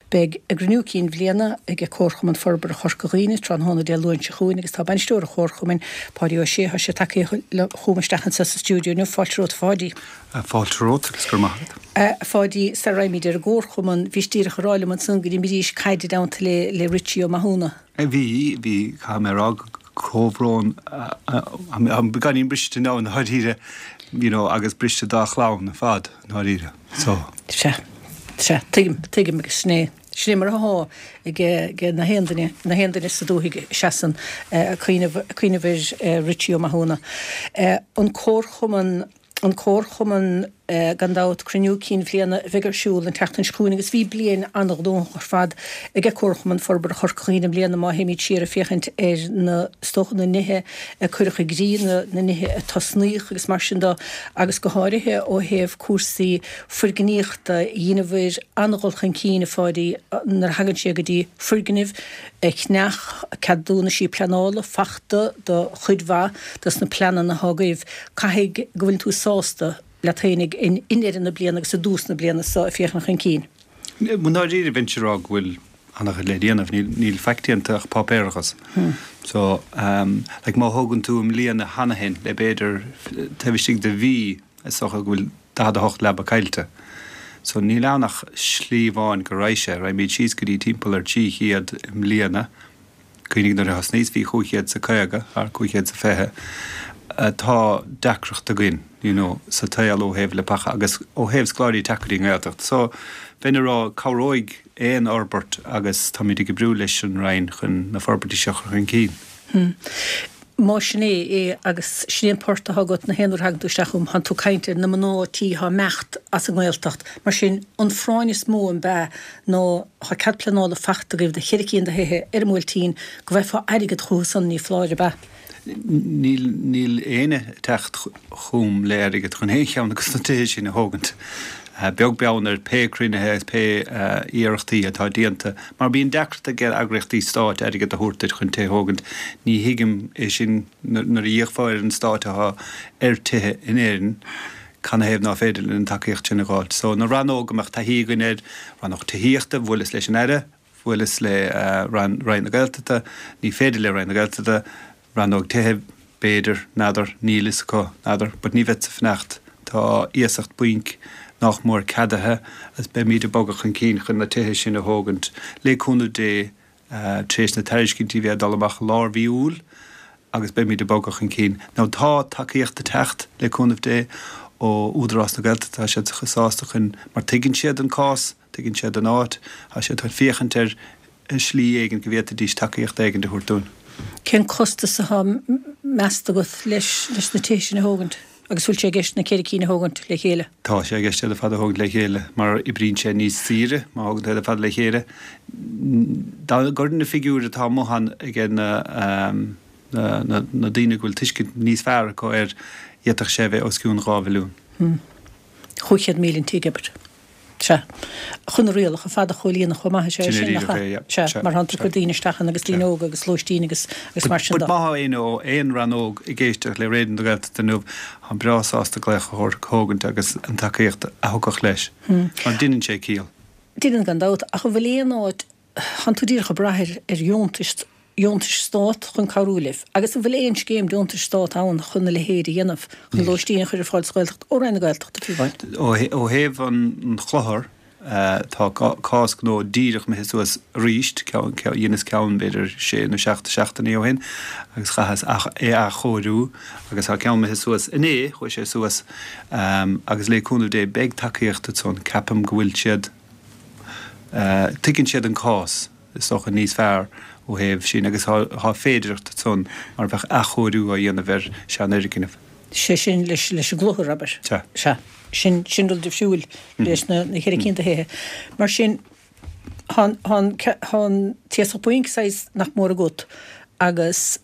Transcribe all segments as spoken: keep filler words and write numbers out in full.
Beidh a gcruinniú cinn bhliana ag Comharchumann Forbartha Chorca Dhuibhne tráthnóna Dé Luain seo chugainn agus tá bainisteoir an Chomharchumainn, Páidí Ó Sé, tá sé tagtha chugam isteach anseo sa stiúideo inniu. Fáilte romhat, a Pháidí. Fáilte romhat agus go raibh maith agat. A Pháidí, sara raghaimid ar an gComharchumann, bhís díreach ag rá liom ansan go d'imrís caid i dteannta le le Richie Ó Mathúna. Bhí, bhí, caithfidh mé a rá, comhbhrón, beagáinín briste now i ndáiríre, you know, agus briste dá chlann ar fad i ndáiríre. So. Sea, sea, tuigim, tuigim agus sin é, sin é mar atá ag ag na haon duine, na haon duine sa dúthaigh a seasann ag cuimhneamh, ag cuimhneamh ar Richie Ó Mathúna. An Comharchumann. An Comharchumann, gan dabht, cruinniú cinn bhliana a bheidh ar siúl an tseachtain seo chugainn agus bhí bliain an-ghnóthach ar fad ag Comharchumann Forbartha Chorca Dhuibhne i mbliana má théimid siar ag féachaint ar na, is dócha, na nithe a cuireadh i gcrích, na, na nithe a tosnaíodh agus mar sin de agus go háirithe ó thaobh cúrsaí foirgníochta, dheineabhair an-dhul chun cinn, a Pháidí, nuair a thagann sé go dtí foirgnimh a cheannach, ceadúnaisí pleanála fachta do chuid mhaith dos na pleananna atá agaibh. Caithfidh go bhfuileann tú sásta leat fhéinig i ndeireadh na bliana agus i dtús na bliana so ag féachaint chun cinn. I ndáiríre bheinnse ag rá go bhfuil an-chuid le déanamh. Níl, níl faic déanta ach páipéarachas. So, like má thógann tú i mbliana cheana féin le b'fhéidir taobh istigh de mhí is dócha go bhfuil daichead a hocht leaba caillte. So níl ann ach slí amháin go raghaidh sé. Raghaimid síos go dtí timpeall ar trí chéad i mbliana. Cuimhnigh nuair a thosnaíos bhí chúig chéad 's a caoga, thar cúig chéad 's a fiche. Tá deacracht againn you know sa tsaol ó thaobh leapacha agus ó thaobh scoláirí teacht go dtí an Ghaeltacht. So bheinn ag rá cabhróidh aon fhorbairt agus táimid ag oibriú leis an Roinn chun na forbairtí seo a chur chun cinn. Más sin é é agus sin é an port atá agat na haon uair a thagann tú isteach chugam, tánn tú ag caint ar na mná tí atá ag imeacht as an nGaeltacht. Mar sin, an phráinn is mó an b'ea ná tá cead pleanála fachta agaibh do cheithre cinn de thithe ar an mBuailtín, go bhfaighfeá airgead chucu san, ní foláir, ab ea? Níl, níl éinne ag teacht chugam le airgead chun aon cheann de na tithe sin a thógaint, beag beann ar pé cruinnithe agus pé iarrachtaí atá déanta. Mar bíonn deacracht ag eagraíochtaí stáit airgead a thabhairt duit chun tithe a thógaint. Ní thuigim é sin. Nuair a d'íocfá ar an stát atá ar tithe in Éirinn, canathaobh ná féidir linn an tacaíocht sin a dh'fháilt? So, na rannóga a mbeadh taithí againn air, rannóg tithíochta, bhuaileas leis an Aire, bhuaileas le Roinn na Gaeltachta, ní féidir le Roinn na Gaeltachta, Rannóg tithe, b'fhéidir, n'fheadar, níl fhios acu, n'fheadar, but ní bheadsa ag fanacht, tá iasacht bainc nách mór ceadaithe agus beimíd ag bogadh chun cinn chun na tithe sin a thógaint, le cúnamh Dé, tar éis na tairiscintí bheith ag dul amach i lár mhí Iúil agus beimíd ag bogadh chun cinn. Now tá tacaíocht ag teacht, le cúnamh Dé, ó Údarás na Gaeltachta, tá siad sásta chun, mar tuigeann siad an cás, tuigeann siad an áit, tá siad chun féachaint ar shlí éigin go bhféadfaidís tacaíocht éigin a thabhairt dúinn. Cén costas atá measta agat leis na tithe sin a thógaint agus bhfuil sé i gceist na ceithre cinn a thógaint le chéile? Tá sé i gceist iad ar fad a thógaint le chéile mar oibríonn sé níos saoire má thógann tú iad ar fad le chéile. Dá gcuirfinn na figiúir atá amuigh ann ag na na daoine go bhfuil tuiscint níos fearr acu air, d'fhéadfadh sé a bheith os cionn dhá mhilliún. Chúig chéad míle an tigh, abair. Sea. Chun na rialacha ar fad a chomhlíonadh chomh maith, is é sin, nach ea? Sea, mar tánn tú ag cur daoine isteach ann agus daoine óga agus lóistín agus agus mar sin de. But má tá éinne ó aon rannóg ag éisteacht le Raidió na Gaeltachta inniu, táim breá sásta glaoch a thógaint agus an tacaíocht a thiocfadh leis. Mar deineann sé ciall. Deineann gan dabht, ach an bhfuil aon áit, tánn tú díreach ag brath ar ar dheontais dheontais Stát chun cabhrú libh? Agus an bhfuil aon scéim deontais Stát ann chun a leithéid a dhéanamh, chun lóistín a chur ar fáil sa Ghaeltacht, ó Roinn na Gaeltachta, fiú amháin? Ó thaobh an chlochair, tá cás gnó díreach imithe suas arís, dheineas ceann b'fhéidir sé nó seacht seachtainí ó shin agus chaitheas é a athchóiriú agus tá ceann imithe suas inné, chuaigh sé suas agus le cúnamh Dé beidh tacaíocht ansan, ceapaim go bhfuil siad, tuigeann siad an cás. is dócha, níos fearr ó thaobh sin agus tá féidearthacht ansan mar bheadh athchóiriú á dhéanamh ar seanfhoirgneamh. Sé sin leis an gclochar, abair. Sea. Sea. Sin, sin rud difriúil leis na ceithre cinn de thithe. Mar sin, tá an, tá an t-iasacht bainc saghas nach mór agat agus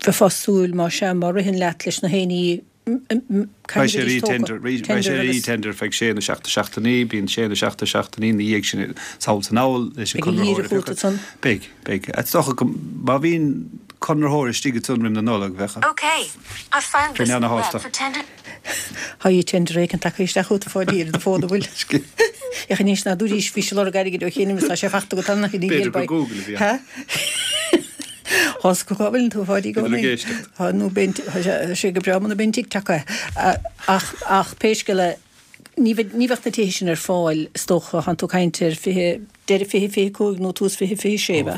bheifeá ag súil, más ea, má ritheann leat leis na héinní, Beidh sé ar e-tender, beidh sé ar e-tender feadh sé nó seacht seachtainí, bíonn sé nó seacht seachtainí ina dhiaidh sin sall is anall leis an conraitheoir a phiocadh. Beidh, beidh. Is dócha go, má bhíonn conraitheoir istigh ansan roim na Nollag, bheadh bheinn ana-shásta. Tá e-tender éicint tagtha isteach chugat a Pháidí ar do fón, an bhfuil? Ach anois ná dúraís bhí sé lorg airgid ó chéin tá sé fachta go tanna B'fhéidir gur Google a bhí ann. Thás go bhfuil tú fáidí go Bhí ag éisteacht. Tá nó bíonn sé go breá muna bíonn TikTok é. Ach ach pé scéal é ní bheadh ní bheadh na tithe sin ar fáil is dócha tánn tú ag caint ar fiche deireadh fiche fiche cúig nó tús fiche fiche sé ba.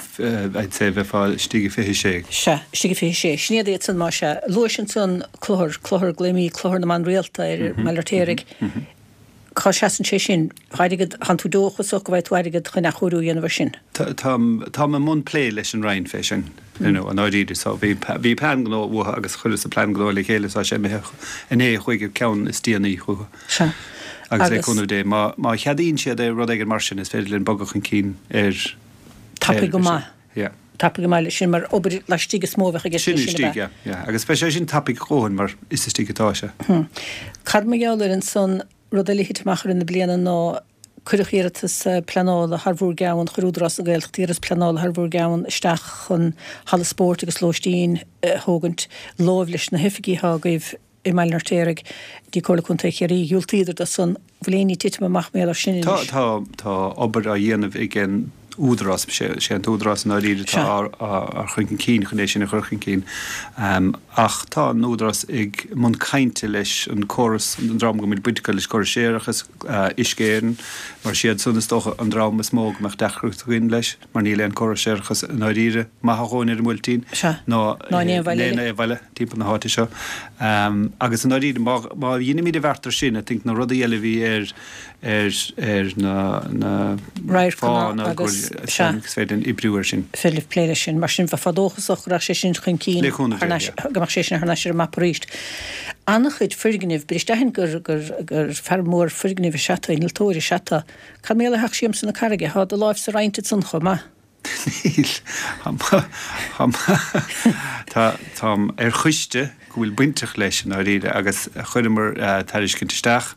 I'd say bheifeá istigh i fiche sé. Sea, istigh i fiche sé. Sin iad iad san má sea. Luais ansan cluthar, cluthar glaoimid cluthar na mban rialta ar i mBaile Fheirtéaraigh. Cá seasann sé sin? Tá airgead, tánn tú dóchasach go bhfaighidh tú airgead chun athchóiriú a dhéanamh air sin? Táim, táim i mbun plé leis an Roinn fé sin, you know, i ndáiríre. So bhí, bhí plean gnó uathu agus chuireas an plean gnó le chéile so tá sé imithe inné chuig an ceann is déanaí chucu. Sea. Agus le cúnamh Dé, má, má cheadaíonn siad é, rud éigin mar sin, is féidir linn bogadh chun cinn ar, Tapaidh go maith. Yeah. Tapaidh go maith leis sin mar obair laistigh is mó a bheadh i gceist Sin leis sin, ab istigh, ea? yeah, yeah. Agus beidh sé sin tapaidh a dhóthain mar is istigh atá sé. Cad mar gheall air ansan, rud eile a thit amach i rith na bliana ná cuireadh iarratas pleanála thar bhur gceann, chuir Údarás na Gaeltachta iarratas pleanála thar bhur gceann isteach chun halla spóirt agus lóistín a thógaint láimh leis na hoifigí atá agaibh i mBaile an Fheirtéaraigh, dtí Comhairle Contae Chiarraí. Dhiúltaíodar do san. Bhfuil aon ní titithe amach mar gheall air sin Tá, anois? tá, tá obair á dhéanamh ag an Údarás, sé an tÚdarás i ndáiríre atá á chur chun cinn chun é sin a chur chun cinn. Ach tá an Údarás ag mbun cainte leis an córas, an dream go bhfuil baint acu leis córas séarachais, Uisce Éireann, mar is iad san is dócha an dream is mó go mbeadh deacracht againn leis, mar níl aon córas séarachais i ndáiríre maith a dhóthain ar an mBuailtín ná in aon bhaile timpeall na háite seo. Agus i ndáiríre má dheinimid an bheart air sin, I think na rudaí eile a bhí ar ar ar na na radharcanna agus sea is féidir linn oibriú air sin. Féidir libh plé leis sin. Mar sin bheifeá dóchasach go raghadh sé sin chun cinn Le cúnamh thar Dé, n-ais yeah. go mbeadh sé sin thar n-ais ar an mapa arís. An-chuid foirgnimh, bris d'aithint gur gur gur fear mór foirgnimh is ea tú, innealtóir is ea tú. Cad mar gheall ar theach Siamsa na Carraige? Tá do láimhse roinnte ansan chomh maith. Níl. Tá, táim ar choiste go bhfuil bainteach leis i ndáiríre agus chuireamar tairiscint isteach.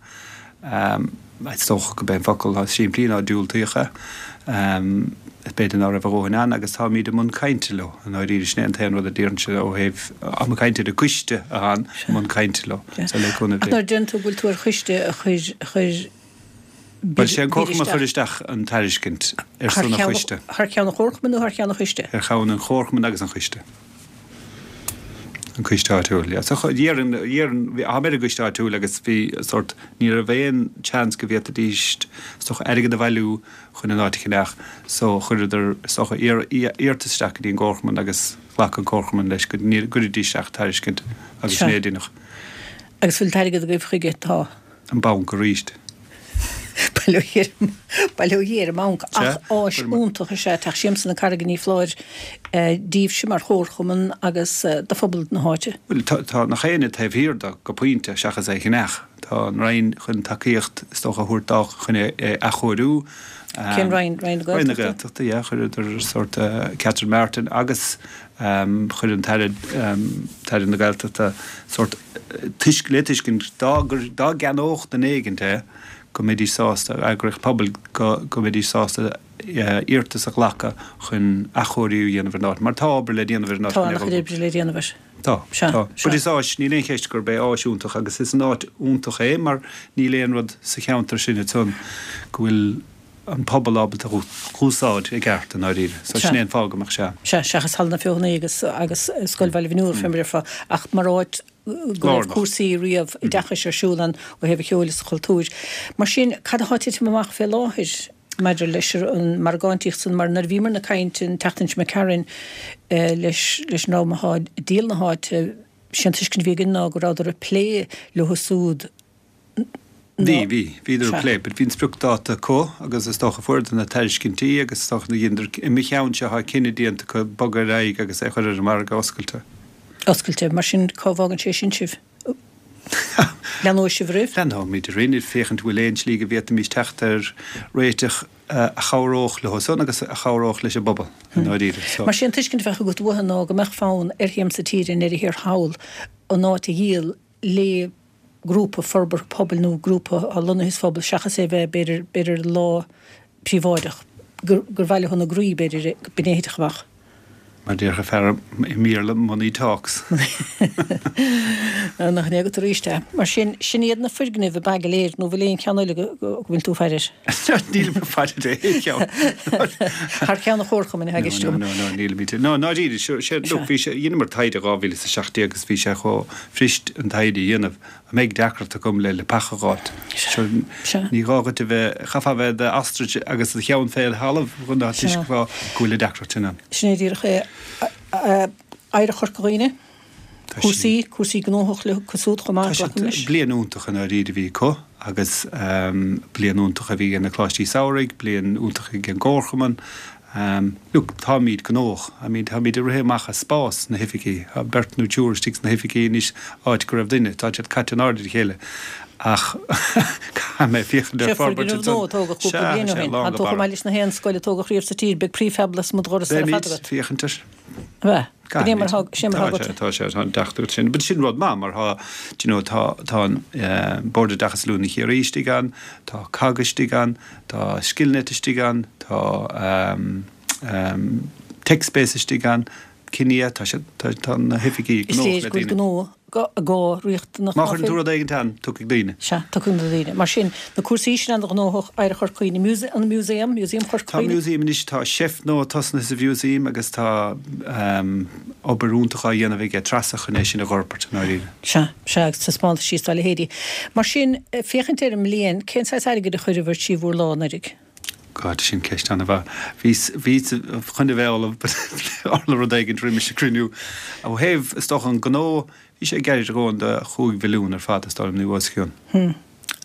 Is dócha go b'é an focal is simplí ná diúltaíodh é. B'fhéidir ná raibh a dhóthain ann agus táimid i mbun cainte leo i ndáiríre. Sin é an t-aon rud a déarfainnse ó thaobh, táim ag caint ar an gcoiste atá i mbun cainte leo. So le cúnamh Ach Dé. nuair a deireann tú go bhfuil tú ar choiste a chuir, a chuir Bhuel, sé an comharchumann a chuir isteach an tairiscint ar son an choiste. Thar ceann an chomharchumainn nó thar ceann an choiste? Ar cheann an chomharchumainn agus an choiste. An coiste áitiúil, yeah. So d'iarr an, d'iarr an, bhí, táim ar an gcoiste áitiúil agus bhí sórt, ní raibh aon chance go bhféadfaidís is dócha airgead a bhailiú chun an áit a cheannach so chuireadar is dócha iarratas isteach go dtí an gcomharchumann agus ghlac an comharchumann leis go gcuirfidís isteach tairiscint agus sin é a deineadh. Agus bhfuil t-airgead agaibh chuige? Tá. An banc arís. Bail ó Dhia ar an mbanc. Ach áis iontach is ea Teach Siamsa na Carraige ní foláir daoibhse mar chomharchumann agus do phobal na háite. Bhuel, tá nach éinne taobh thiar de go pointe, seachas é a cheannach. Tá an Roinn chun tacaíocht is dócha a thabhairt dó chun é a athchóiriú. Cén Roinn? Roinn na Gaeltachta? Roinn na Gaeltachta, yeah. Chuireadar sórt Catherine Martin agus chuir an tAire, tAire na Gaeltachta sórt tuisc, le tuiscint dá, dá gceannódh duine éigint é go mbeidís sásta, eagraíocht pobail, go, go mbeidís sásta iarratas a ghlacadh chun athchóiriú a dhéanamh ar an áit. Mar tá obair le déanamh ar an áit Tá an-chuid oibre le déanamh air. Tá, Sea, tá. sea. But is áis, níl aon cheist gurb é áis iontach agus is an áit iontach é mar níl aon rud sa cheantar sin ansan go bhfuil an pobal ábalta a dh'úsáid i gceart i ndáiríre. So sin Sea. é an fáth go mbeadh sé ann. Sea, seachas Halla na Feothanaí agus, agus Scoil Bhaile Bhniúr, fé mar a déarfá, ach mar áit go raibh Lárnach. cúrsaí riamh oideachais ar siúl ann ó thaobh an cheoil is an chultúir. Mar sin, cad atá ag titim amach fé láthair maidir leis an margántaíocht san? Mar nuair a bhíomar ag caint an tseachtain seo imigh tharainn leis leis an dream atá ag díol na háite, sé an tuiscint a bhí againn ná go rabhadar ag plé leo súd Bhí, ná. bhí. Bhíodar ag Sea. plé. But bhí an spriocdháta acu agus is dócha fuaireadar na tairiscintí agus is dócha dheineadar, i mo cheann-se tá cinneadh déanta acu bogadh ar aghaidh agus é a chur ar an margadh oscailte. Oscailte. Mar sin, cá bhfágann sé sin sibh? Leanóidh sibh oraibh? Leanóimid orainn ag féachaint an bhfuil aon slí go bhféadfaimis teacht ar réiteach a chabhródh leo san agus a chabhródh leis an bpobal i ndáiríre. So. Mar sin, an tuiscint a bheadh agat uathu ná go mbeadh fonn ar Shiamsa Tíre i ndeireadh thiar thall an áit a dhíol le grúpa forbartha pobail nó grúpa atá lonnaithe sa phobal seachas é a bheith, b'fhéidir, b'fhéidir i lámha príobháideach, gur, gur mhaith leo ina gcroí, b'fhéidir, b'in é a thitfeadh amach. Mar déarfadh fear i mBéarla, money talks. Nach in é agat arís é. Mar sin, sin iad na foirgnimh ab ea go léir, nó bhfuil aon cheann eile go bhfuil tú ag faire air? Nílim ag faire ar aon cheann. Thar ceann an chomharchumainn atá i gceist agam. No, no, no, nílimid. No, ndáiríre, sé, look, bhí sé, dheineamar taighde dhá mhíle is a seacht déag agus bhí sé chomh fuirist an taighde a dhéanamh. An mbeidh deacracht agam le leapacha a dh'fháilt? Sure, ní gá dhuit a bheith, chaithfeá a bheith i d'ostrach agus do cheann fé thalamh chun a thuiscint go bhfuil an deacracht sin ann. Sin é díreach é. Oidhreacht Chorca Dhuibhne, cúrsaí, cúrsaí gnóthach leo siúd chomh maith, glacaim leis. Bliain iontach i ndáiríre a bhí acu agus bliain iontach a bhí ag na Coláistí Samhraidh, bliain iontach ag an gComharchumann. Look, táimid gnóthach. I mean, táimid ag rith amach as spás sna hoifigí. Tá beirt nó triúr istigh sna hoifigí anois áit go raibh duine. Tá siad caite in airde ar a chéile. Ach caithfidh mé féachaint ar forbairt ansan. Sé foirgneamh nua a tógadh cúpla bliain ó shin. Tá tú chomh maith leis na haon scoil a tógadh riamh sa tír. Beidh prefab lasmuigh de dhoras ar fad agat. Beimid féachaint air. Bheith. Go dtí mar thá, sé mar thá agat. Tá sé, tá an deacracht agat sin. But sin rud maith mar tá, do you know, tá, tá an Bord Oideachais Oiliúna Chiarraí istigh ann, tá cogg istigh ann, tá Skillnet istigh ann, tá TechSpace istigh ann, Kinia, tá siad, tá na hoifigí gnóthach le daoine. Is léir go bhfuil gnó gá riachtanach. Má chuireann tú rud éigin ann, tiocfaidh daoine. Sea, tiocfaidh na daoine. Mar sin, na cúrsaí sin an-ghnóthach, Oidhreacht Chorca Dhuibhne, an Museum, Museum Chorca Dhuibhne. Tá Museum anois, tá seift nua tosnaithe sa Mhuseum agus tá obair iontach á dhéanamh aige Treasa chun é sin a dh'fhorbairt i ndáiríre. Sea, sea, agus taispeántaisí is dá leithéidí. Mar sin, féachaint ar an mbliain, cén saghas airgid a chuireabhair trí bhur lámh anuraidh? God, sin ceist an-mhaith. Bhíos, bhíos chun a bheith ullamh but tharla rud éigint roimis an gcruinniú. Ó thaobh, is dócha, an gnó, bhí sé gairid a dhóthain do chúig mhilliún ar fad, is dóigh liom, nó os a chionn. Hm.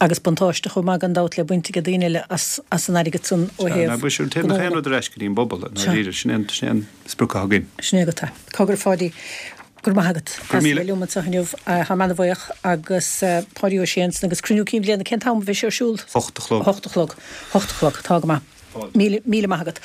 Agus buntáiste chomh maith gan dabht le baint ag daoine eile as, as an airgead san ó Sea, thaobh ná bhuel, sin, téann gnó. gach aon rud ar ais go dtí an bpobal, i ndáiríre. Sin é an, sin é an sprioc atá againn. Sin é agat é. Cogar, a Pháidí. Go raibh maith agat Go raibh as a míle. bheith liom anseo inniu. Táim ana-bhuíoch agus Páidí Ó Sé ansan agus cruinniú cinn bhliana cén t-am a bheidh sé ar siúl? Hocht a chlog. Hocht a chlog. Hocht a chlog. Tá go maith. Fáilte. Míle, míle maith agat.